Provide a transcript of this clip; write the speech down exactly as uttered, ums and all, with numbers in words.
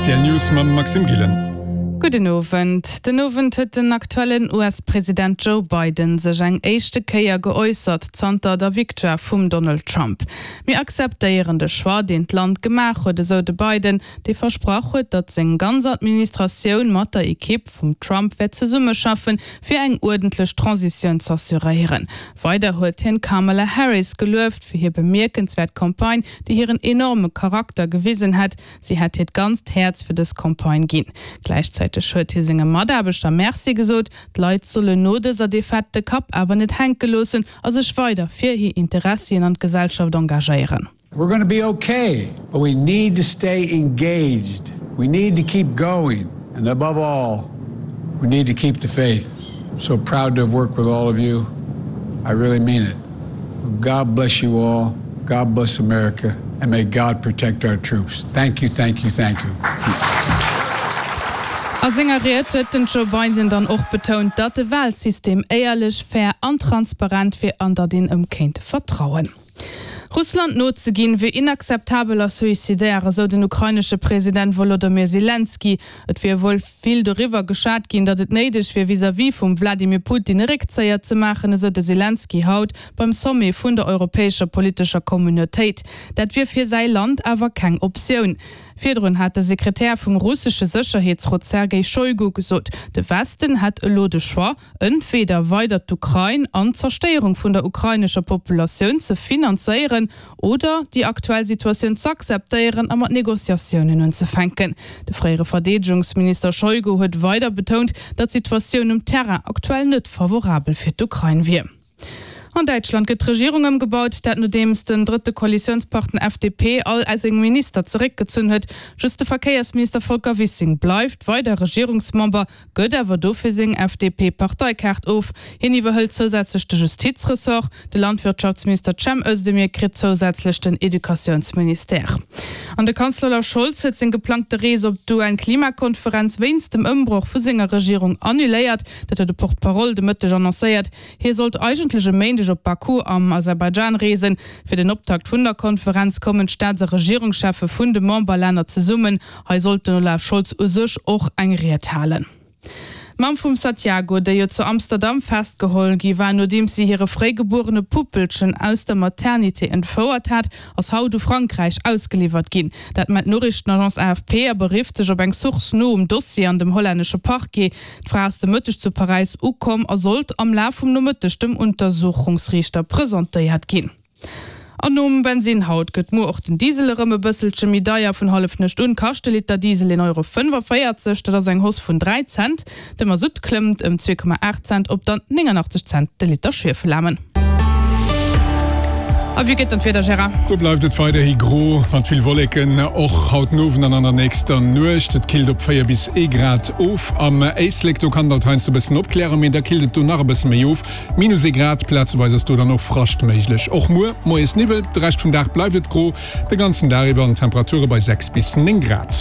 R T L News mam Maxime Gillen. Gudden Owend. Den Owend huet den aktuellen U S-President Joe Biden sech eng éischte Kéier geäussert zanter der Victoire vum Donald Trump. Mir akzeptéieren de Choix, deen d'Land gemaach huet, esou de Biden, dee versprach huet, datt seng ganz Administratioun mat der Ekipp vum Trump wäert zesummeschaffen, fir eng uerdentlech Transitioun z'assuréieren. Weider huet hien d'Kamala Harris gelueft fir hir bemierkenswäert Campagne, déi hiren enorme Charakter gewisen hätt. Si hätt hiert ganzt Häerz fir dës Campagne ginn. Gläichzäiteg huet hie senge Mataarbechter Merci gesot. D'Leit sollen no dëser Defaite de Kapp awer net hänke loossen a sech weider fir hir Interessien an d'Gesellschaft engagéieren. We're going to be okay, but we need to stay engaged. We need to keep going. And above all, we need to keep the faith. I'm so proud to have worked with all of you. I really mean it. God bless you all. God bless America. And may God protect our troops. Thank you, thank you, thank you. A senger Ried huet den Joe Biden dann och betount, datt de Walsystem éierlech, fair an transparent wier an datt een em kéint vertrauen. Russland nozeginn, wier inakzeptabel a suicidaire, esou den ukrainesche President Wolodymyr Selenskyj. Et wier wuel vill doriwwer geschwat ginn, datt et néideg wier, vis-à-vis vum Wladimir Putin e Réckzéier ze maachen, esou de Selenskyj haut beim Sommet vun der europäescher politescher Communautéit. Dat wier fir säi Land awer keng Optioun. Virdrun hat de Sekretär vum russesche Sécherheetsrot Sergei Schoigu gesot, de Westen hätt elo de Choix, entweder weider d'Ukrain an d'Zerstéierung vun der ukrainescher Populatioun ze finanzéieren oder déi aktuell Situatioun z'akzeptéieren a mat Negociatiounen unzefänken. De fréiere Verdeedegungsminister Schoigu huet weider betount, datt d'Situatioun um Terrain aktuell net favorabel fir d'Ukrain wier. An Däitschland gëtt d'Regierung ëmgebaut, dat nodeems den drëtte Koalitiounspartner F D P all seng Minister zeréckgezunn huet. Just de Verkéiersminister Volker Wissing bleift weider Regierungsmember, gëtt awer dofir seng F D P-Parteikaart of. Hien iwwerhëlt zousätzlech de Justizressort, de Landwirtschaftsminister Cem Özdemir kritt zousätzlech den Educatiounsministère. An de Kanzler Olaf Scholz huet seng geplangte Rees op d'U N-Klimakonferenz wéinst dem Ëmbroch vu senger Regierung annuléiert. Dat huet de Porte-parole de Mëtteg annoncéiert. Hie sollt eigentlech e Méindeg op Baku am Aserbaidschan reesen. Fir den Optakt vun der Konferenz kommen d'Staats- a Regierungscheffe vun de Memberlänner zesummen. Hei sollt den Olaf Scholz u sech och eng Ried halen. D'Mamm vum Santiago, déi jo zu Amsterdam festgeholl gi war, nodeems si hire fréigebuerene Puppelchen aus der Maternité entfouert hat, ass haut u Frankräich ausgeliwwert ginn. Dat mellt d'Noriichtenagence A F P a berifft sech op eng Source no um Dossier an dem hollännesche Parquet. D'Fra ass de Mëtteg zu Paräis ukomm a sollt am Laf vum Nomëtteg dem Untersuchungsriichter presentéiert ginn. An nom Bensinn haut gëtt muer och den Diesel erëm e bësselche méi deier. Vun Hallefnuecht un kascht de Liter Diesel een Euro fënnefavéierzeg, dat ass eng Hausse vun dräi Cent. De Masutt klëmmt ëm zwee Komma aacht Cent op dann néngannachtzeg Cent de Liter Schwiefelaarmen. A wéi gëtt dann d'Wieder, Gérard? Do bleift et weiderhi gro mat vill Wolleken, och haut den Owend an an der nächster Nuecht. Et killt op véier bis ee Grad of. Am Éislek, do kann et heiansdo e bëssen opklären, mee da killt et do nach e bësse méi of. Minus ee Grad, plazeweis ass do dann och Frascht méiglech. Och muer moies Niwwel, de Rescht vum Dag bleift et gro, de ganzen Dag iwwer an Temperature bei sechs bis néng Grad.